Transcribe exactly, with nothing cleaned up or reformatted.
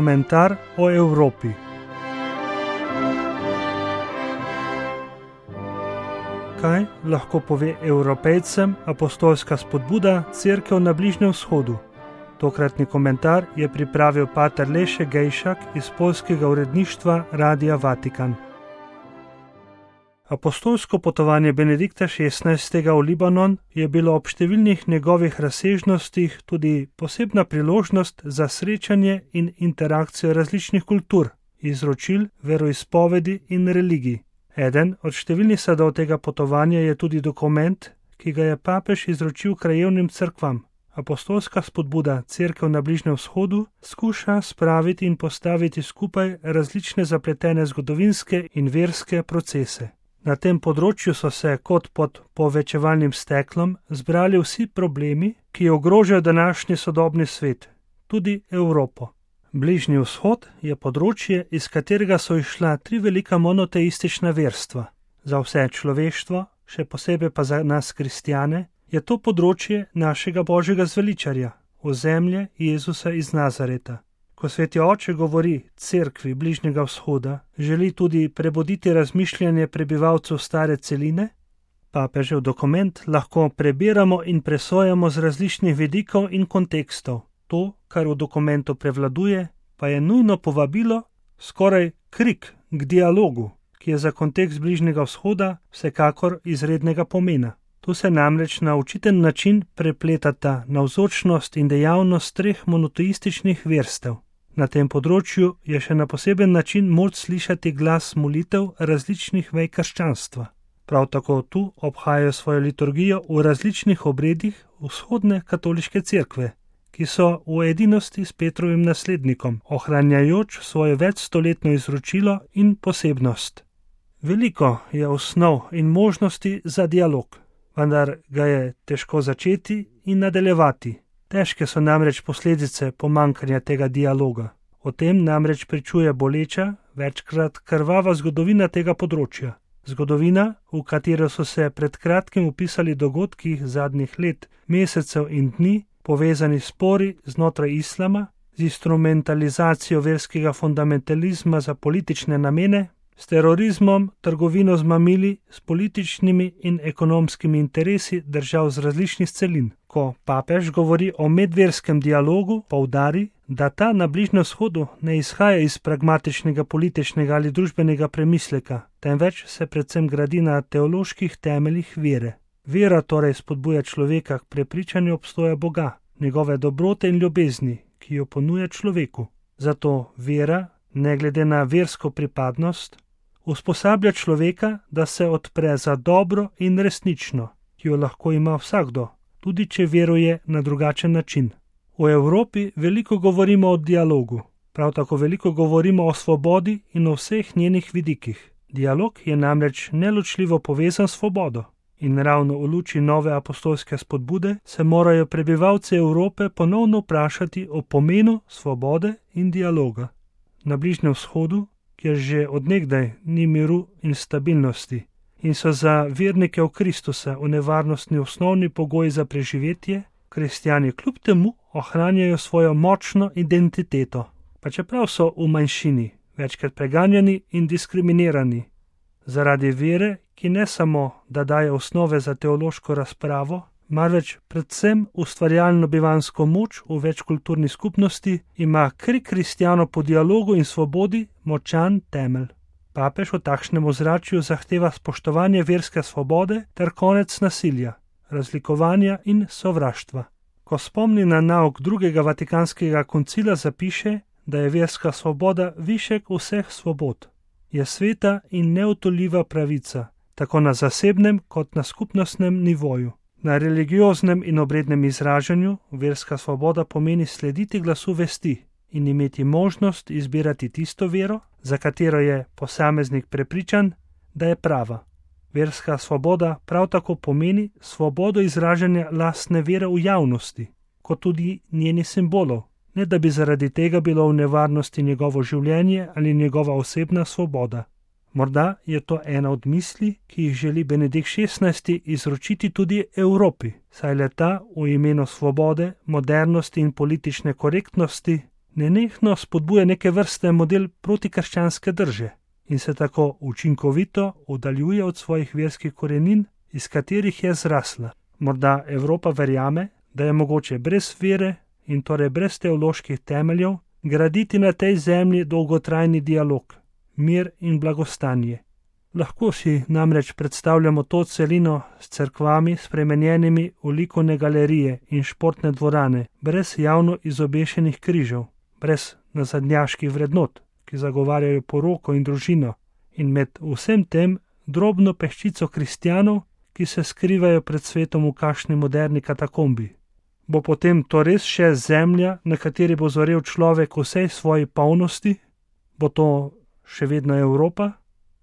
Komentar o Evropi. Kaj lahko pove Evropejcem apostolska spodbuda Cerkev na Bližnjem vzhodu? Tokratni komentar je pripravil pater Leše Gejšak iz poljskega uredništva Radia Vatikan. Apostolsko potovanje Benedikta šestnajstega v Libanon je bilo ob številnih njegovih razsežnostih tudi posebna priložnost za srečanje in interakcijo različnih kultur, izročil, veroizpovedi in religij. Eden od številnih sadov tega potovanja je tudi dokument, ki ga je papež izročil krajevnim cerkvam. Apostolska spodbuda Cerkev na Bližnjem vzhodu skuša spraviti in postaviti skupaj različne zapletene zgodovinske in verske procese. Na tem področju so se kot pod povečevalnim steklom zbrali vsi problemi, ki ogrožajo današnji sodobni svet, tudi Evropo. Bližnji vzhod je področje, iz katerega so izšla tri velika monoteistična verstva. Za vse človeštvo, še posebej pa za nas kristjane, je to področje našega Božjega zveličarja, ozemlje Jezusa iz Nazareta. Ko sveti oče govori cerkvi Bližnjega vzhoda, želi tudi prebuditi razmišljanje prebivalcev stare celine, papežev dokument lahko prebiramo in presojamo z različnih vidikov in kontekstov. To, kar v dokumentu prevladuje, pa je nujno povabilo, skoraj krik k dialogu, ki je za kontekst Bližnjega vzhoda vsekakor izrednega pomena. Tu se namreč na učiten način prepletata navzočnost in dejavnost treh monoteističnih verstev. Na tem področju je še na poseben način moč slišati glas molitev različnih vej krščanstva. Prav tako tu obhajajo svojo liturgijo v različnih obredih vzhodne katoliške cerkve, ki so v edinosti s Petrovim naslednikom, ohranjajoč svoje večstoletno izročilo in posebnost. Veliko je osnov in možnosti za dialog, vendar ga je težko začeti in nadaljevati. Težke so namreč posledice pomanjkanja tega dialoga. O tem namreč pričuje boleča, večkrat krvava zgodovina tega področja. Zgodovina, v katero so se pred kratkim upisali dogodki zadnjih let, mesecev in dni, povezani spori znotraj islama, z instrumentalizacijo verskega fundamentalizma za politične namene, s terorizmom, trgovino z mamili, s političnimi in ekonomskimi interesi držav z različnih celin. Ko papež govori o medverskem dialogu, poudari, da ta na Bližnjem vzhodu ne izhaja iz pragmatičnega političnega ali družbenega premisleka, temveč se predvsem gradi na teoloških temeljih vere. Vera torej spodbuja človeka k prepričanju obstoja Boga, njegove dobrote in ljubezni, ki jo ponuja človeku. Zato vera, ne glede na versko pripadnost, usposablja človeka, da se odpre za dobro in resnično, ki jo lahko ima vsakdo, tudi če veruje na drugačen način. V Evropi veliko govorimo o dialogu, prav tako veliko govorimo o svobodi in o vseh njenih vidikih. Dialog je namreč neločljivo povezan s svobodo. In ravno v luči nove apostolske spodbude se morajo prebivalci Evrope ponovno vprašati o pomenu svobode in dialoga. Na Bližnjem vzhodu, kjer že od nekdaj ni miru in stabilnosti in so za vernike v Kristusa v nevarnostni osnovni pogoji za preživetje, kristjani kljub temu ohranjajo svojo močno identiteto, pa čeprav so v manjšini, večkrat preganjani in diskriminirani. Zaradi vere, ki ne samo, da daje osnove za teološko razpravo, marveč predvsem ustvarjalno bivansko moč v večkulturni skupnosti, ima krik kristjanov po dialogu in svobodi močan temelj. Papež v takšnem ozračju zahteva spoštovanje verske svobode ter konec nasilja, razlikovanja in sovraštva. Ko spomni na nauk drugega vatikanskega koncila, zapiše, da je verska svoboda višek vseh svobod. Je sveta in neodtujljiva pravica, tako na zasebnem kot na skupnostnem nivoju. Na religioznem in obrednem izražanju verska svoboda pomeni slediti glasu vesti in imeti možnost izbirati tisto vero, za katero je posameznik prepričan, da je prava. Verska svoboda prav tako pomeni svobodo izražanja lastne vere v javnosti, kot tudi njeni simbolov, ne da bi zaradi tega bilo v nevarnosti njegovo življenje ali njegova osebna svoboda. Morda je to ena od misli, ki jih želi Benedikt šestnajsti izročiti tudi Evropi, saj le ta v imenu svobode, modernosti in politične korektnosti nenehno spodbuja neke vrste model protikrščanske drže in se tako učinkovito oddaljuje od svojih verskih korenin, iz katerih je zrasla. Morda Evropa verjame, da je mogoče brez vere in torej brez teoloških temeljev graditi na tej zemlji dolgotrajni dialog, mir in blagostanje. Lahko si namreč predstavljamo to celino s cerkvami spremenjenimi v likovne galerije in športne dvorane, brez javno izobešenih križev, brez nazadnjaških vrednot, ki zagovarjajo poroko in družino, in med vsem tem drobno peščico kristjanov, ki se skrivajo pred svetom v kakšni moderni katakombi. Bo potem to res še zemlja, na kateri bo zorel človek v vsej svoji polnosti? Bo to še vedno Evropa?